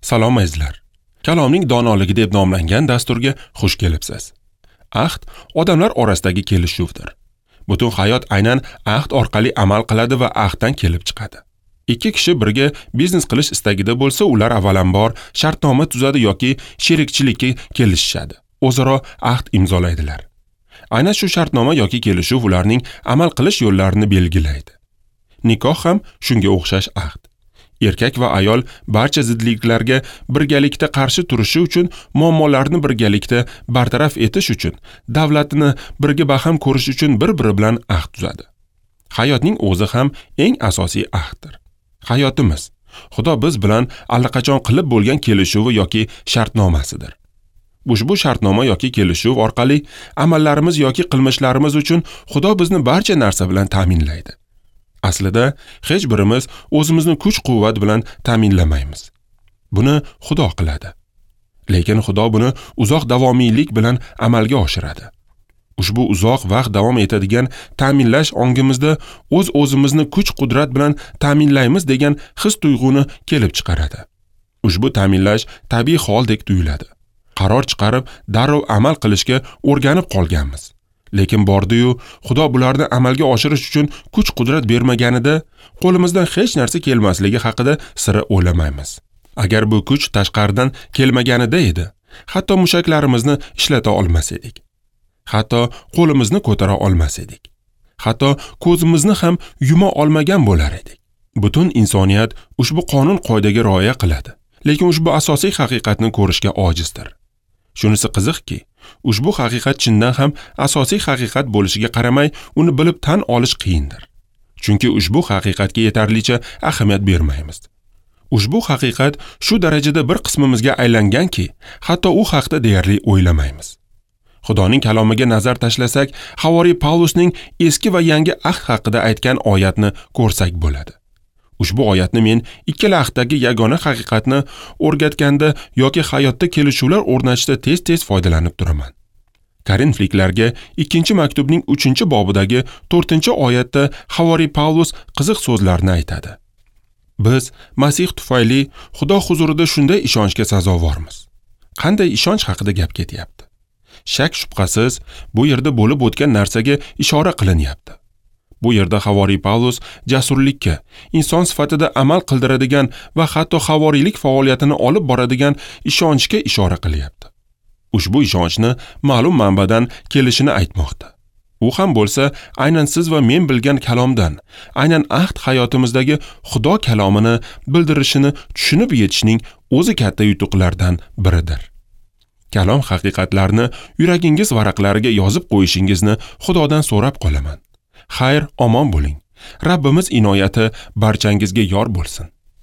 Salom azizlar. Kalomning donoligi deb nomlangan dasturga xush kelibsiz. Ahd odamlar orasidagi kelishuvdir. Butun hayot aynan ahd orqali amal qiladi va ahddan kelib chiqadi. Ikki kishi birga biznes qilish istagida bo'lsa, ular avvalambor shartnoma tuzadi yoki sherikchilikka kelishishadi. O'zaro ahd imzolaydilar. Aynan shu shartnoma yoki kelishuv ularning amal qilish yo'llarini belgilaydi. Nikoh ham shunga o'xshash ahd. Erkak va ayol barcha zidliklarga birgalikda qarshi turishi uchun, muammolarni birgalikda bartaraf etish uchun, davlatni birga baham ko'rish uchun bir-biri bilan ahd tuzadi. Hayotning o'zi ham eng asosiy ahddir. Hayotimiz Xudo biz bilan allaqachon qilib bo'lgan kelishuvi yoki shartnomasidir. Ushbu shartnoma yoki kelishuv orqali amallarimiz yoki qilmishlarimiz uchun Xudo bizni barcha narsa bilan ta'minlaydi. Aslida hech birimiz o'zimizni kuch-quvvat bilan ta'minlamaymiz. Buni Xudo qiladi. Lekin Xudo buni uzoq davomiylik bilan amalga oshiradi. Ushbu uzoq vaqt davom etadigan ta'minlash ongimizda o'z-o'zimizni kuch-qudrat bilan ta'minlaymiz degan his-tuyg'uni kelib chiqaradi. Ushbu ta'minlash tabiiy holdek tuyuladi. Qaror chiqarib, darrov amal qilishga o'rganib qolganmiz. Lekin bordi-yu, Xudo bularni amalga oshirish uchun kuch-qudrat bermaganida qo'limizdan hech narsa kelmasligi haqida sira o'ylamaymiz. Agar bu kuch tashqaridan kelmaganida edi, hatto mushaklarimizni ishlata olmas edik. Hatto qo'limizni ko'tara olmas edik. Hatto ko'zimizni ham yuma olmagan bo'lar edik. Butun insoniyat ushbu qonun-qoidaga rioya qiladi, lekin ushbu asosiy haqiqatni ko'rishga ojizdir. Shunisi qiziqki, ushbu haqiqat chindan ham asosiy haqiqat bo'lishiga qaramay, uni bilib tan olish qiyindir. Chunki ushbu haqiqatga yetarlicha ahamiyat bermaymiz. Ushbu haqiqat shu darajada bir qismimizga aylanganki, hatto u haqda deyarli o'ylamaymiz. Xudoning kalomiga nazar tashlasak, Havoriy Pavlusning eski va yangi ahd haqida aytgan oyatni ko'rsak bo'ladi. Ushbu oyatni men ikkala ahdagi yagona haqiqatni o'rgatganda yoki hayotda kelishuvlar o'rnatishda tez-tez foydalanib turaman. Korinfliklarga 2-maktubning 3-bobidagi 4-oyatda Havoriy Pavlus qiziq so'zlarni aytadi. Biz Masih tufayli Xudo huzurida shunday ishonchga sazovormiz. Qanday ishonch haqida gap ketyapti? Shak shubhasiz bu yerda bo'lib o'tgan narsaga ishora qilinyapti. Bu yerda Havoriy Pavlus jasurlikka, inson sifatida amal qildiradigan va hatto havoriylik faoliyatini olib boradigan ishonchga ishora qilyapti. Ushbu ishonchni ma'lum manbadan kelishini aytmoqda. U ham bo'lsa, aynan siz va men bilgan kalomdan, aynan ahd hayotimizdagi Xudo kalomini bildirishini tushunib yetishning o'zi katta yutuqlardan biridir. Kalom haqiqatlarini yuragingiz varaqlariga yozib qo'yishingizni Xudodan so'rab qolaman. Xayr, omon bo'ling. Rabbimiz inoyati barchangizga yor bo'lsin.